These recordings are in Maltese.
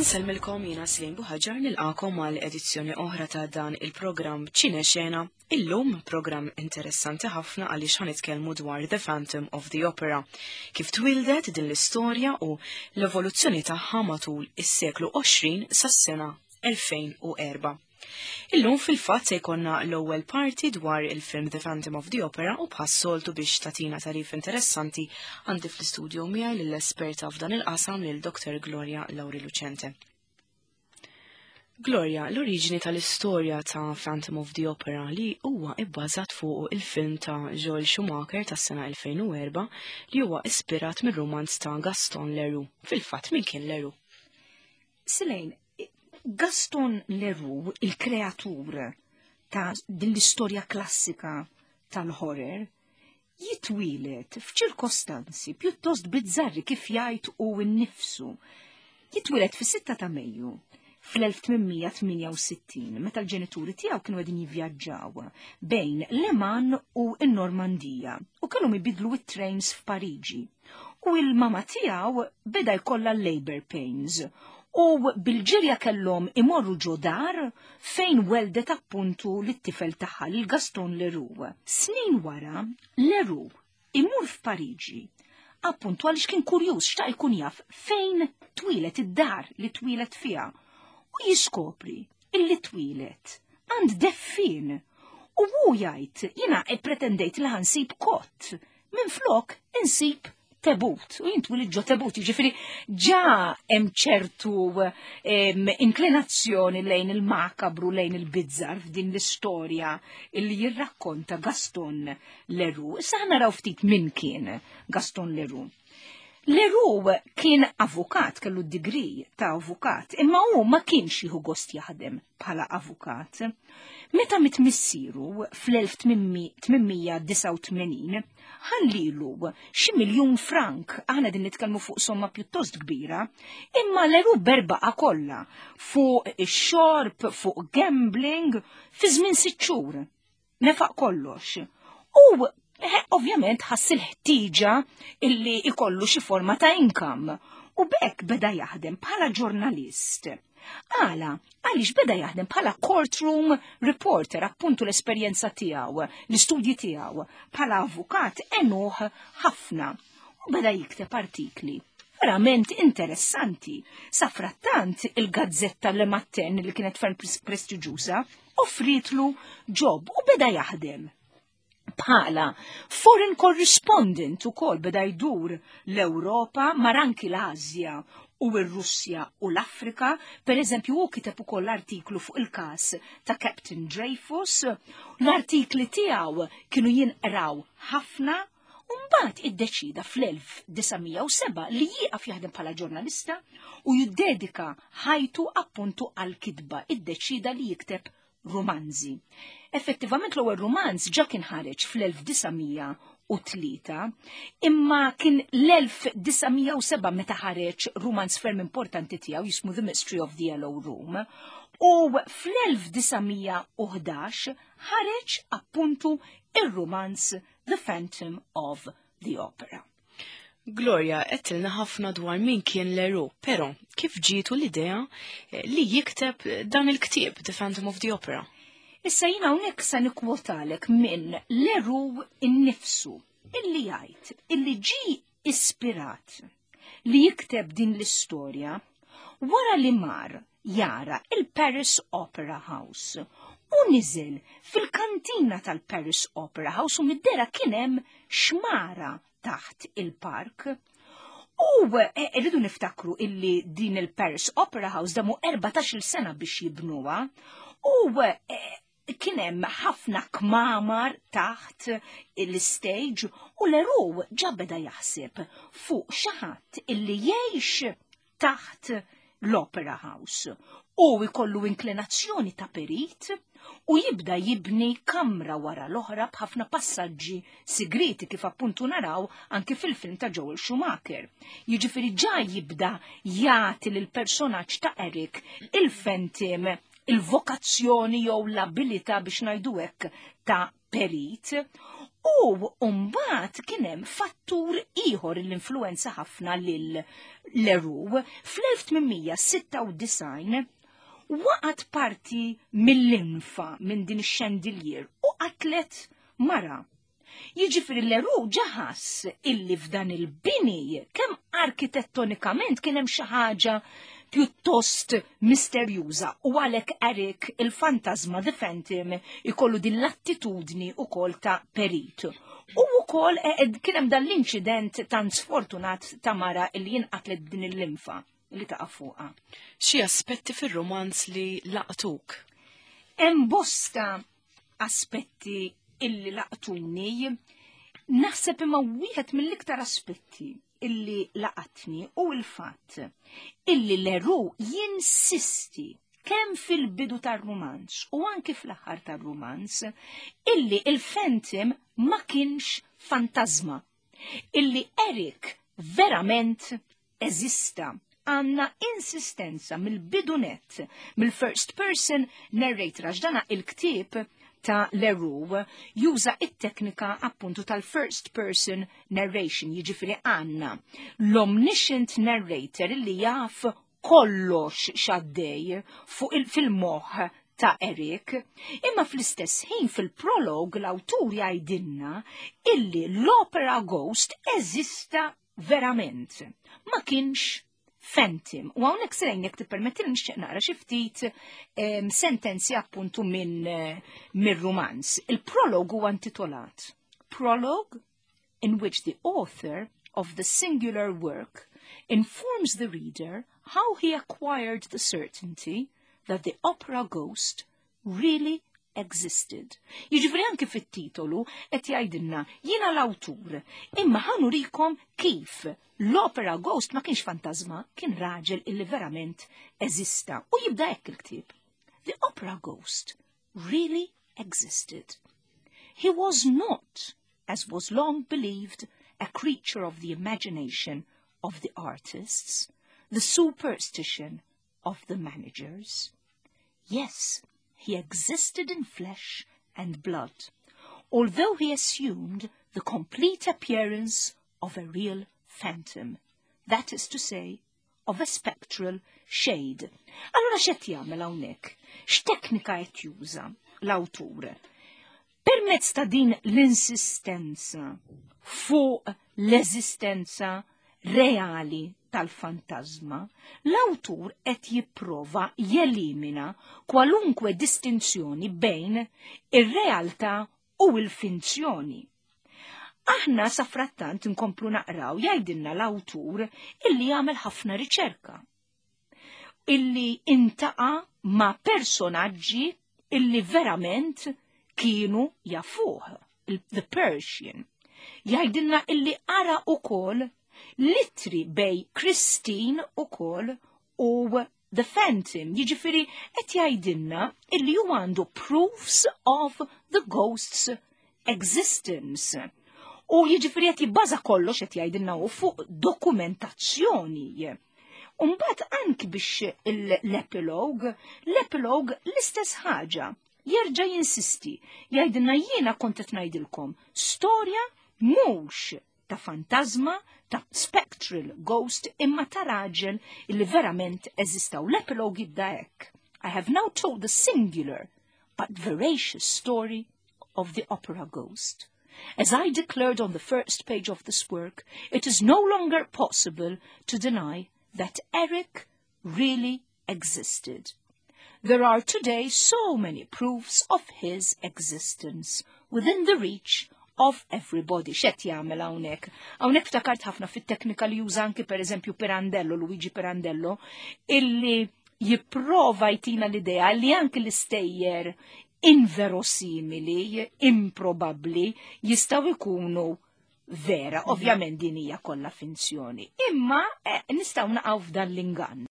Insellmilkom jiena Slim Buħaġar nilqakom għal edizzjoni oħra ta' dan il-programm Ċine Xena. Illum programm interessanti ħafna għaliex ħanitkellmu dwar The Phantom of the Opera. Kif twildet din l-istorja u l-evoluzzjoni tagħha matul is-seklu 20 sas-sena 2004. Illum fil-fatt se jkollna l-ewwel parti dwar il-film The Phantom of the Opera u bħas-soltu biex tatina tarif interessanti għandi fl-istudio miegħi lill-esperta f'dan il-qasam lil Dr. Gloria Lauri Lucente. Gloria, l-oriġini tal-istorja ta' Phantom of the Opera li huwa ibbażat fuq il-film ta' Joel Schumacher tas-sena 2004 li huwa ispirat mir-romanz ta' Gaston Leroux. Fil-fatt min kien Leroux? Silejn, Gaston Leroux, il-kreatur ta' din l-istorja klassika tal-horror, jitwieled f'ċirkostanzi pjuttost bizzarri kif jgħid u nnifsu. Jitwieled fis-6 ta' Mejju fl-1868 meta l-ġenituri tiegħu kienu qegħdin jivvjaġġaw bejn Le Mans u n-Normandija u kellhom ibidlu it-trains f'Pariġi. U il-mama tiegħu beda jkollha labor pains u bil-ġirja kellhom imorru ġo dar fejn weldet appuntu lit-tifel tagħha lil Gaston Leroux. Snin wara, Leroux imur f'Pariġi appuntu għaliex kien kurjuż xtaq ikun jaf fejn twieled id-dar li twieled fiha u jiskopri illi twieled għand deffien u hu jgħid jiena ppretendejt li ħansib kott Minflok insib tebut, u jintwil ġo tebut, ġifiri ġa hemm ċertu inklinazzjoni lejn il-makabru, lejn il-bizzar f'din l-istorja illi jirrakkonta Gaston Leroux. Issa ħa naraw ftit min kien Gaston Leroux. Leroux kien avukat, kellu d-degree ta' avukat, imma hu ma kienx jieħu gost jaħdem bħala avukat. Meta miet missieru fl-1889, ħallilu xi miljun frank, aħna din nitkellmu fuq somma pjuttost kbira, imma Leroux berbaqa kollha fuq ix-xorb, fuq gambling, fi żmien sitt xhur. Nefaq kollox. U eh, ovvjament ħass il-ħtieġa illi ikollu xi forma ta' income u bekk beda jaħdem bħala ġurnalist. Għala, għaliex beda jaħdem bħala courtroom reporter, appuntu l-esperjenza tiegħu, l-istudji tiegħu, bħala avukat enuħ ħafna. U beda jikteb artikli verament interessanti. Safrattant il-gazzetta Le Matin li kienet ferm prestiġjuża offrietlu job u beda jaħdem bħala foreign correspondent ukoll beda jdur l-Ewropa mar anki l-Asja u r-Russja u l-Afrika. Per eżempju, hu kiteb ukoll artiklu fuq il-każ ta' Captain Dreyfus. L-artikli tiegħu kienu jinqraw ħafna u mbagħad iddeċida fl-1907 li jieqaf jaħdem bħala ġurnalista u jiddedika ħajtu appuntu għal-kitba. Iddeċida li jikteb rumanzi. Effettivament l-ewwel rumanz ġa kien ħareġ fl-1903, imma kien l-1907 meta ħareġ rumanz ferm importanti tiegħu jismu The Mystery of the Yellow Room, u fl-1911 ħareġ appuntu ir-rumanz The Phantom of the Opera. Gloria, għedtilna ħafna dwar min kien Leroux, pero kif ġietu l-idea eh, li jikteb dan il-ktieb, The Phantom of the Opera? Issa jina hawnhekk sa nikkwotalek minn Leroux innifsu illi jgħid illi ġi ispirat li jikteb din l-istorja wara li mar jara il-Paris Opera House u niżel fil-kantina tal-Paris Opera House u mid-dera kien hemm xmara taħt il-park. U eh, rridu niftakru illi din il-Paris Opera House damu 14 sena biex jibnuha u eh, kien hemm ħafna kmamar taħt l-stage u Leroux ġa beda jaħseb fuq xi ħadd illi jgħix taħt l-Opera House u jkollu inklinazzjoni ta' perit u jibda jibni kamra wara l-oħra b'ħafna passaġġi sigriti kif appuntu naraw anki fil-film ta' Joel Schumacher. Jiġifieri ġa jibda jagħti lil personaġġ ta' Eric il-Phantom il-vokazzjoni jew l-abilità biex ngħidu hekk ta' perit. U mbagħad kien hemm fattur ieħor li influenza ħafna lil Leroux. Fl-1896 waqgħet parti mill-linfa minn din ix-chandelier u qatlet mara. Jiġifieri Leroux ġaħas illi f'dan il-bini kemm arkitettonikament kien hemm xi ħaġa pjuttost misterjuża u għalhekk Eric il-fantasma The Phantom ikollu din l-attitudni ukoll ta' perit. U wkoll kien hemm dan l-inċident tant sfortunat ta' mara illi jinqatlet b'din il-linfa li taqa' fuqha. Xi aspetti fir-rumanz li laqtuk? Hemm bosta aspetti illi laqtuni, naħseb imma wieħed mill-iktar aspetti illi laqatni u l-fatt illi Leroux jinsisti kemm fil-bidu tar-rumanz u anki fl-aħħar tar-rumanz illi il-Phantom ma kienx fantasma, illi Eric verament eżista. Għanna insistenza mill-bidunet, mill-first person narrator, għax dana il-ktieb ta' Leroux juża it-teknika appuntu tal-first person narration, jiġifieri għanna l-omniscient narrator li jaf kollox xaddej fuq fil-moħħ ta' Eric, imma fl-istess ħin fil-prolog l-awtur jgħidilna illi l-opera ghost eżista verament, ma kienx phantom. U hawnhekk sejn jekk tippermetti nixtieq naqra xi ftit sentenzi appuntu minn mir-rumanz. Il-prolog huwa intitolat Prologue in which the author of the singular work informs the reader how he acquired the certainty that the opera ghost really existed. Jiġifieri anki fit-titolu qed jgħidilna jiena l-awtur, imma ħa nurikom kif l-opera ghost ma kienx fantasma, kien raġel illi verament eżista. U jibda hekk il-ktieb. The opera ghost really existed. He was not, as was long believed, a creature of the imagination of the artists, the superstition of the managers. Yes, he existed in flesh and blood, although he assumed the complete appearance of a real phantom, that is to say, of a spectral shade. Allora x'qed jagħmel hawnhekk? X'teknika qed juża l-awtur? Permezz ta' din l-insistenza fuq l-eżistenza reali tal-fantasma, l-awtur qed jipprova jelimina kwalunkwe distinzjoni bejn ir-realtà u l-finzjoni. Aħna safrattant nkomplu naqraw jgħidilna l-awtur illi jagħmel ħafna riċerka, illi intaqa' ma' personaġġi illi verament kienu jafuh, the Persian. Jgħidilna illi qara ukoll litri bej Christine ukoll u The Phantom, jiġifieri qed jgħidilna illi hu għandu proofs of the ghost's existence. U jiġifieri qed jibbaża kollox qed jgħidilna hu fuq dokumentazzjoni. Umbagħad anki biex l-epilog, l-epilog l-istess ħaġa. Jerġa' jinsisti, jgħidilna jiena kont qed ngħidilkom storja mhux ta' fantasma, ta' spectral ghost, imma ta' raġel illi verament eżista. U l-epilog jibda hekk. I have now told the singular but veracious story of the opera ghost. As I declared on the first page of this work, it is no longer possible to deny that Eric really existed. There are today so many proofs of his existence within the reach of everybody. X'qed jagħmel hawnhekk? Hawnhekk ftakart ħafna fit-teknika li juża anki pereżempju Pirandello, Luigi Pirandello, illi jipprova jtina l-idea li anki l-istejjer inverosimili, improbabbli, jistgħu jkunu vera. Ovvjament din hija kollha finzjoni. Imma nistgħu naqgħu f'dan l-ingann.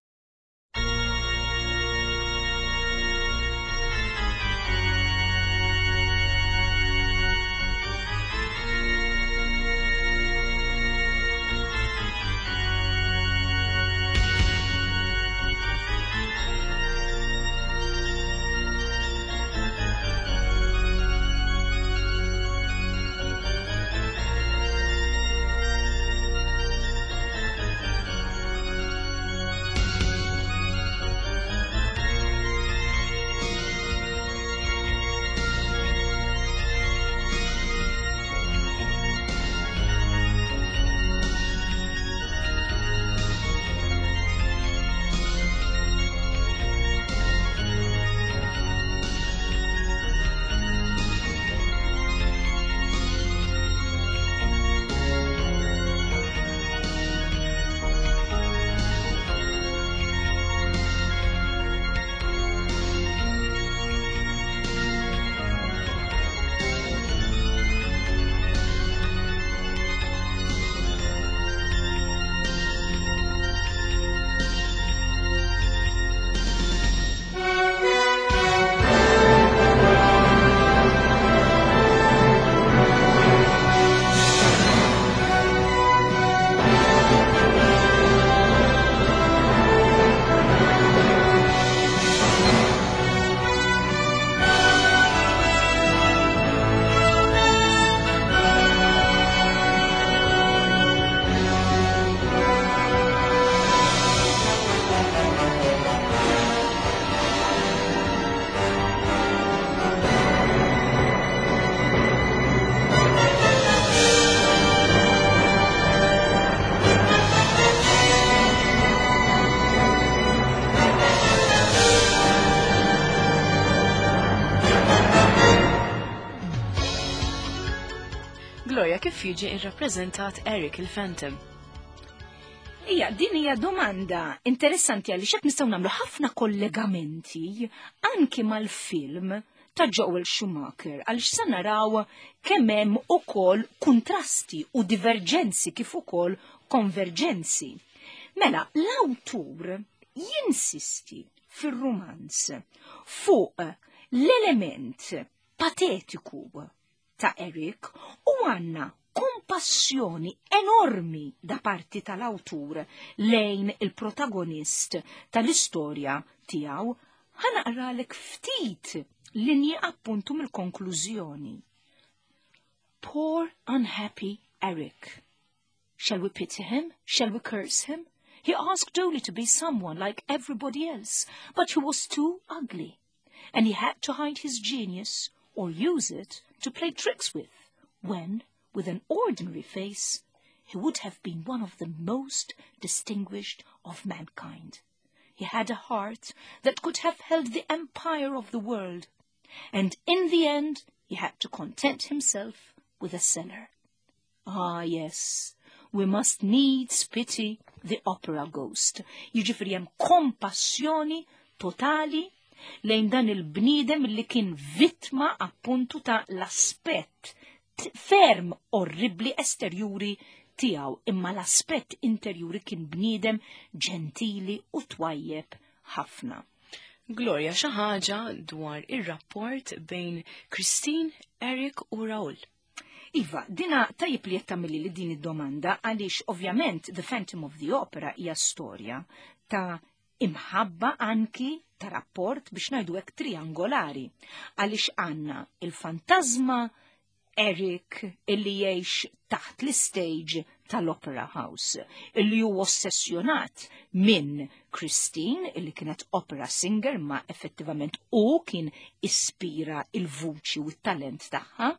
Gloria, kif jiġi irrappreżentat Eric il-Phantom? Ija, din hija domanda interessanti għaliex hekk nistgħu nagħmlu ħafna kollegamenti anki mal-film ta' Joel Schumacher għaliex se naraw kemm hemm ukoll kuntrasti u diverġenzi kif ukoll konverġenzi. Mela, l-awtur jinsisti fir-rumanz fuq l-element patetiku ta' Eric u għanna kompassjoni enormi da parti tal-awtur lejn il-protagonist tal-istorja tiegħu. Ħa naqralek ftit linji appuntu mill-konklużjoni. Poor unhappy Eric. Shall we pity him? Shall we curse him? He asked only to be someone like everybody else, but he was too ugly, and he had to hide his genius or use it to play tricks with, when, with an ordinary face, he would have been one of the most distinguished of mankind. He had a heart that could have held the empire of the world, and in the end he had to content himself with a cellar. Ah, yes, we must needs pity the opera ghost. Jiġifieri hemm kompassjoni totali lejn dan il-bniedem li kien vittma appuntu ta' l-aspett ferm orribli esterjuri tiegħu, imma l-aspett interjuri kien bniedem ġentili u twajjeb ħafna. Gloria, xi ħaġa dwar ir-rapport bejn Christine, Eric u Raoul. Iva, dina tajib li jettamili li din id-domanda għaliex ovvjament The Phantom of the Opera hija storja ta' imħabba anki ta' rapport biex ngħidu hekk triangolari għaliex għandna il-fantasma Eric illi jgħix taħt l-stage tal-Opera House, illi hu ossessjonat minn Christine, illi kienet opera singer ma effettivament u kien ispira il-vuċi u t-talent tagħha.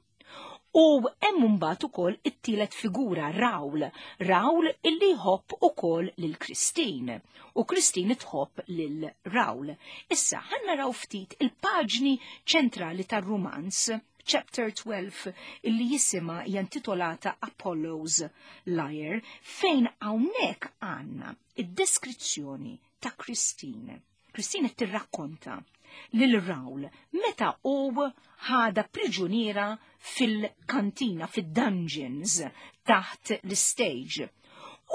U hemm mbagħad ukoll it-tielet figura Raoul, Raoul illi jħobb ukoll lil Christine u Christine tħobb lil Raoul. Issa ħa naraw ftit il-paġni ċentrali tar-rumanz, chapter 12 illi jisimha jantitolata Apollo's Lyre, fejn hawnhekk għandna id-deskrizzjoni ta' Christine. Christine qed tirrakkonta lil Raoul meta hu ħada priġuniera fil-kantina, fid-dungeons, taħt l-stage.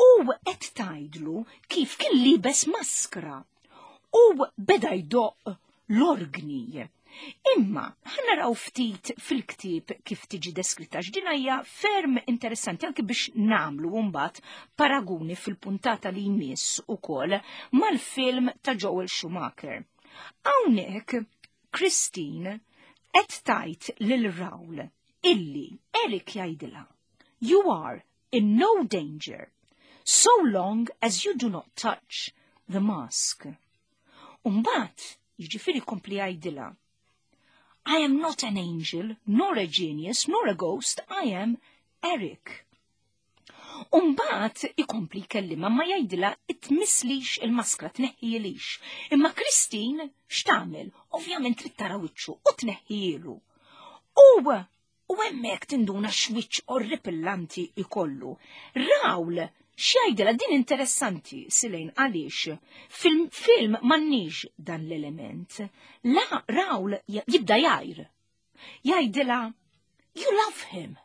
U qed tgħidlu kif kien libes maskra u beda jdoqq l-orgni. Imma ħa naraw ftit fil-ktieb kif tiġi deskritta x'din hija ferm interessanti anki biex nagħmlu mbagħad paraguni fil-puntata li jmiss ukoll mal-film ta' Joel Schumacher. Hawnhekk Christine qed tgħid lil Raoul illi Eric jgħidilha: "You are in no danger so long as you do not touch the mask." Umbagħad, jiġifieri kompli jgħidilha: "I am not an angel, nor a genius, nor a ghost, I am Eric." Umbagħad ikompli jkellimha ma jgħidilha tmisslix il-maskra, tneħħielix. Imma Christine x'tagħmel? Ovvjament trid tara wiċċu u tneħħielu. U hemmhekk tinduna x'wiċċ orripillanti ikollu. Raoul x'jgħidilha? Din interessanti Silejn għaliex fil-film m'għandniex dan l-element. La Raoul jibda jgħir. Jgħidilha: "You love him.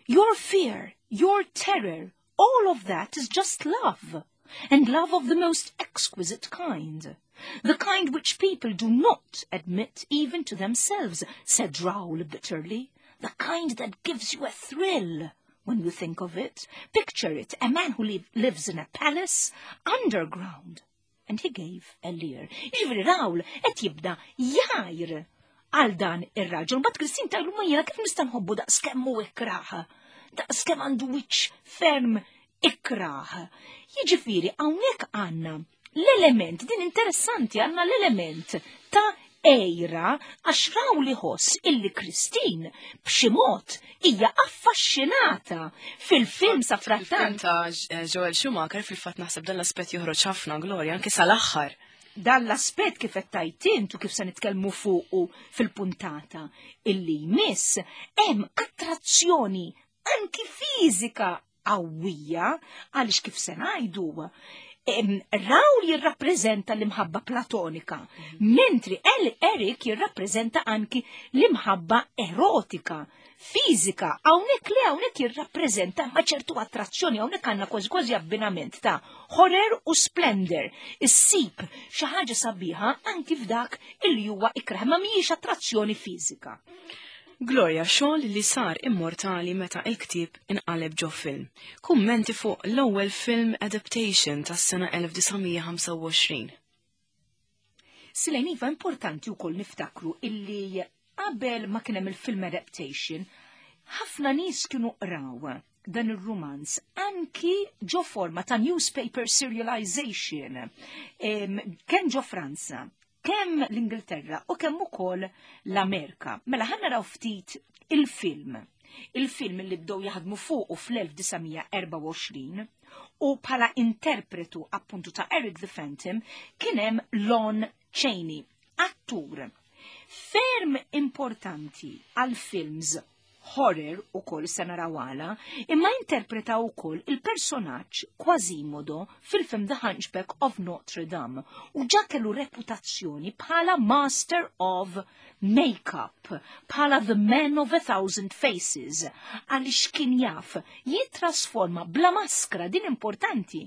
Your fear, your terror, all of that is just love, and love of the most exquisite kind. The kind which people do not admit even to themselves," said Raoul bitterly. "The kind that gives you a thrill when you think of it. Picture it, a man who lives in a palace underground." And he gave a leer. Jiġifieri Raoul qed jibda jgħir għal dan ir-raġel. But Christine tgħidlu ma jiena kif nista' nħobbu daqs kemm hu ikrah, daqs kemm għandu wiċċ ferm ikrah? Jiġifieri hawnhekk għandna l-element, din interessanti, għandna l-element ta' għira għax Raoul iħoss illi Christine b'xi mod hija affaxxinata fil-film sa frattant. Ta' Joel Schumacher fil-fatt naħseb dan l-aspett joħroġ ħafna, Gloria, anke sal-aħħar. Dan l-aspett kif qed tgħid int u kif se nitkellmu fuqu fil-puntata illi jmiss, hemm attrazzjoni. anki fiżika qawwija għaliex kif se ngħidu Raul jirrappreżenta l-imħabba platonika, mentri El Eric jirrappreżenta anki l-imħabba erotika, fiżika, hawnhekk le hawnhekk jirrappreżenta ma' ċertu attrazzjoni, hawnhekk għandna kważi kważi abbinament ta' horror u splendor. Issib xi ħaġa sabiħa anki f'dak illi huwa ikrah, ma mhijiex attrazzjoni fiżika. Gloria xogħol li sar immortali meta il-ktieb inqaleb ġo film. Kummenti fuq l-ewwel film adaptation tas-sena 1925. Silejn iva importanti wkoll niftakru illi qabel ma kien hemm il-film adaptation, ħafna nies kienu qraw dan ir-rumanz anki ġo forma ta' newspaper serialization kemm ġo Franza, kemm l-Ingilterra u kemm ukoll l-Amerika. Mela ħa naraw ftit il-film. Il-film li bdew jaħdmu fuqu fl-1924 u bħala interpretu appuntu ta' Eric the Phantom kien hemm Lon Chaney, attur ferm importanti għal films horror ukoll se naraw għala, imma interpreta wkoll il-personaġġ Quasimodo fil-film The Hunchback of Notre Dame u ġa kellu reputazzjoni bħala Master of Makeup, bħala The Man of a Thousand Faces, għaliex kien jaf jittrasforma bla maskra din importanti.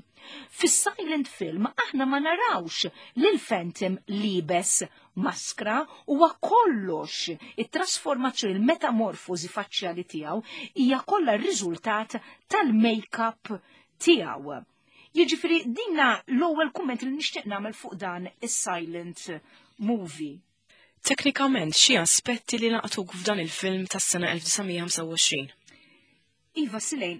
Fis-silent film aħna ma narawx lil Phantom liebes maskra huwa kollox it-trasformazzjoni, il-metamorfosi faċjali tiegħu hija kollha r-riżultat tal-make-up tiegħu. Jiġifieri dinna l-ewwel kumment li nixtieq nagħmel fuq dan is-silent movie. Teknikament xi aspetti li laqtuk f'dan il-film tas-sena 1925? Iva Silejn,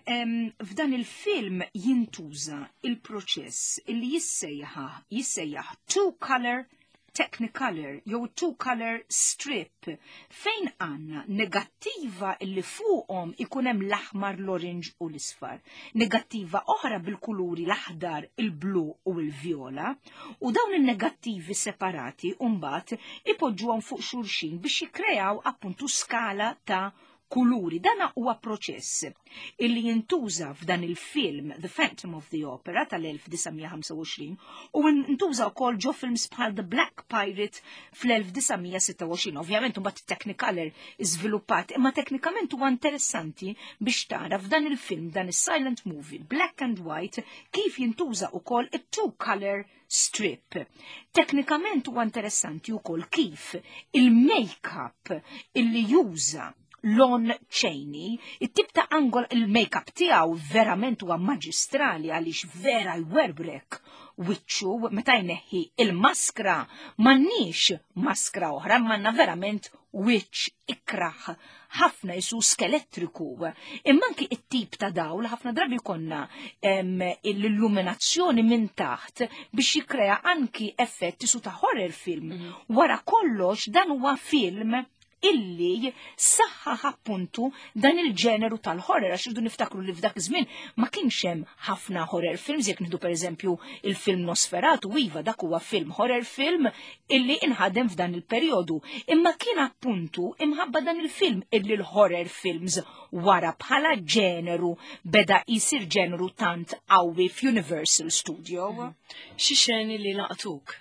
f'dan il-film jintuża il-proċess illi jissejjaħ jissejjaħ two color Technicolor jew two color strip fejn għandna negattiva illi fuqhom ikun hemm l-aħmar, l-orange u l-isfar. Negattiva oħra bil-kuluri l-aħdar, il-blu u l-vjola u dawn il-negattivi separati mbagħad ipoġġuhom fuq xulxin biex jikkreaw appuntu skala ta' kuluri. Dana huwa proċess illi jintuża f'dan il-film The Phantom of the Opera tal-1925 u ntuża wkoll ġo films bħal The Black Pirate fl-1926. Ovvjament mbagħad Technicolor iżviluppat, imma teknikament huwa interessanti biex tara f'dan il-film, dan is-silent movie, black and white, kif jintuża wkoll it-two color strip. Teknikament huwa interessanti wkoll kif il-make-up illi juża Lon Chaney, it-tip ta' angol il-make-up tiegħu verament huwa maġistrali għaliex vera jwerbrek wiċċu meta jneħħi il-maskra m'għandniex maskra oħra, m'għandna verament wiċċ ikraħ ħafna jisu skelettriku. Imma anki it-tip ta' dawl ħafna drabi konna l-illuminazzjoni minn taħt biex jikrea anki effett jisu ta' horror film. Wara kollox dan huwa film illi saħħaħ appuntu dan il-ġeneru tal-horror, għax irridu niftakru li f'dak iż-żmien ma kienx hemm ħafna horror films, jekk nieħdu pereżempju il-film Nosferatu, iva dak huwa film horror film illi inħadem f'dan il-perjodu. Imma kien appuntu imħabba dan il-film illi l-horror films wara bħala ġeneru beda jisir ġeneru tant qawwi f'Universal Studio. Xi xeni li laqtuk?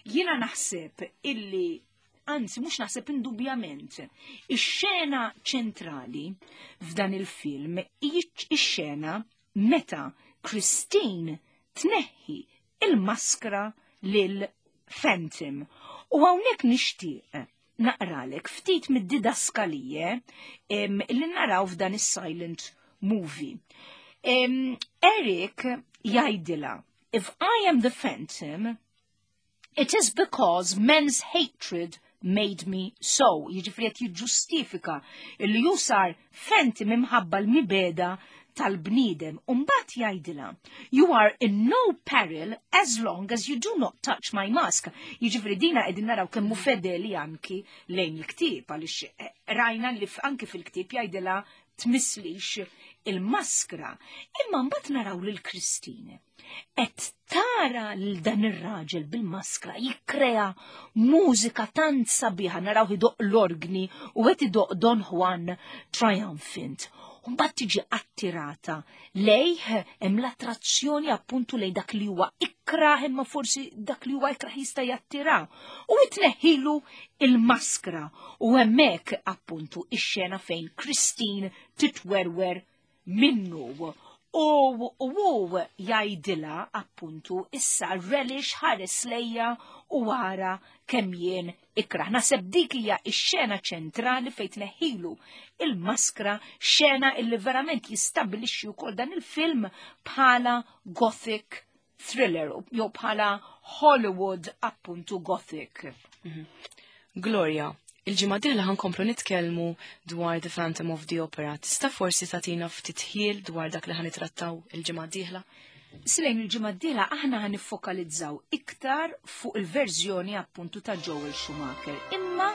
Jiena naħseb illi anzi mhux naħseb indubjament, ix-xena ċentrali f'dan il-film ix-xena meta Christine tneħħi il-maskra lil Phantom. U hawnhekk nixtieq naqralek ftit mid-didaskalije li naraw f'dan is-silent movie. Eric jgħidilha, if I am the Phantom, it is because men's hatred made me so. Jiġifieri qed jiġġustifika li hu sar Phantom imħabba l-mibegħda tal-bniedem. Umbat jgħidilha, you are in no peril as long as you do not touch my mask. Jiġifieri dina qegħdin naraw kemm hu fedeli anki lejn il-ktieb, għaliex rajna li anki fil-ktieb jgħidilha tmisslix il-maskra. Imma mbagħad naraw lil Christine qed tara lil dan ir-raġel bil-maskra jikkrea mużika tant sabiħa, naraw idoq l-orgni u qed idoq Don Juan Triumphant. U mbagħad tiġi attirata lejh hemm l-attrazzjoni appuntu lejn dak li huwa ikrah imma forsi dak li huwa ikrah jista' jattira. U tneħħilu il-maskra u hemmhekk appuntu ix-xena fejn Christine titwerwer minnu. U hu jgħidilha appuntu issa relish ħares lejja u ara kemm jien ikrah. Naħseb dik hija x-xena ċentrali fejn tneħħilu il-maskra, xena illi verament jistabbilixxi wkoll dan il-film bħala gothic thriller jew bħala Hollywood appuntu gothic. Gloria, il-ġimgħa dieħla ħankomplu nitkellmu dwar The Phantom of the Opera. Tista' forsi tagħtina ftit ħjiel dwar dak li ħanitrattaw il-ġimgħa dieħla? Silejn il-ġimgħa d-dieħla aħna ħaniffokalizzaw iktar fuq il-verżjoni appuntu ta' Joel Schumacher. Imma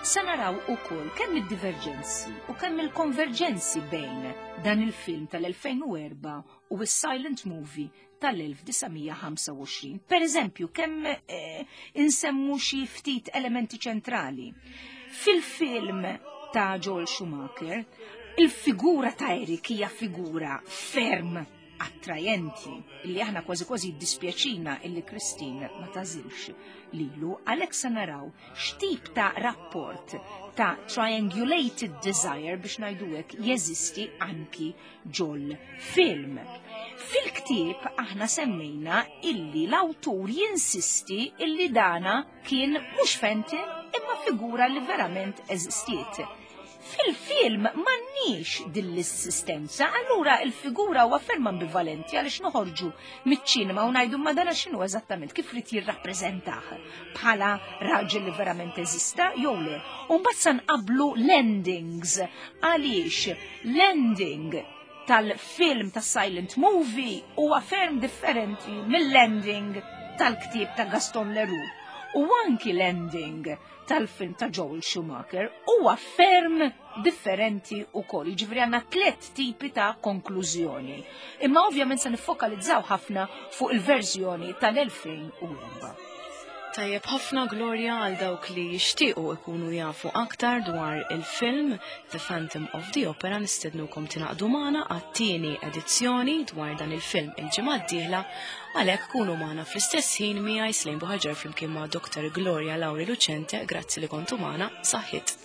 se naraw ukoll kemm id-diverġenzi u kemm il-konverġenzi bejn dan il-film tal-2004 u s-silent movie tal-1925. Per eżempju, kemm eh, insemmu xi ftit elementi ċentrali. Fil-film ta' Joel Schumacher, il-figura ta' Eric hija figura ferm attrajenti illi aħna kważi kważi jiddispjaċina illi Christine ma tażilx lilu, għalhekk se naraw x'tip ta' rapport ta' triangulated desire biex ngħidu hekk jeżisti anki ġol film. Fil-ktieb aħna semmejna illi l-awtur jinsisti illi dana kien mhux Fenton imma figura li verament eżistiet. Fil-film m'għandniex din l-assistenza, allura il-figura huwa ferm ambivalenti għaliex noħorġu miċ-ċinema u ngħidu ma dana x'inhu eżattament kif rid jirrappreżentah bħala raġel li verament eżista jew le. U mbagħad sa nqablu l-endings għaliex l-ending tal-film ta' silent movie huwa ferm differenti mill-ending tal-ktieb ta' Gaston Leroux. U anki l-ending tal-film ta' Joel Schumacher huwa ferm differenti wkoll. Jiġifieri għandna tliet tipi ta' konklużjoni. Imma ovvjament se niffokalizzaw ħafna fuq il-verżjoni tal-2004. Tajjeb ħafna Gloria għal dawk li jixtiequ ikunu jafu aktar dwar il-film The Phantom of the Opera nistednukom tingħaqdu magħna għat-tieni edizzjoni dwar dan il-film il-ġimgħa d-dieħla għalhekk kunu magħna fl-istess ħin miegħi Slejn Buħaġar flimkien ma' Dr. Gloria Lauri Lucente, grazzi li kontu magħna, saħħit.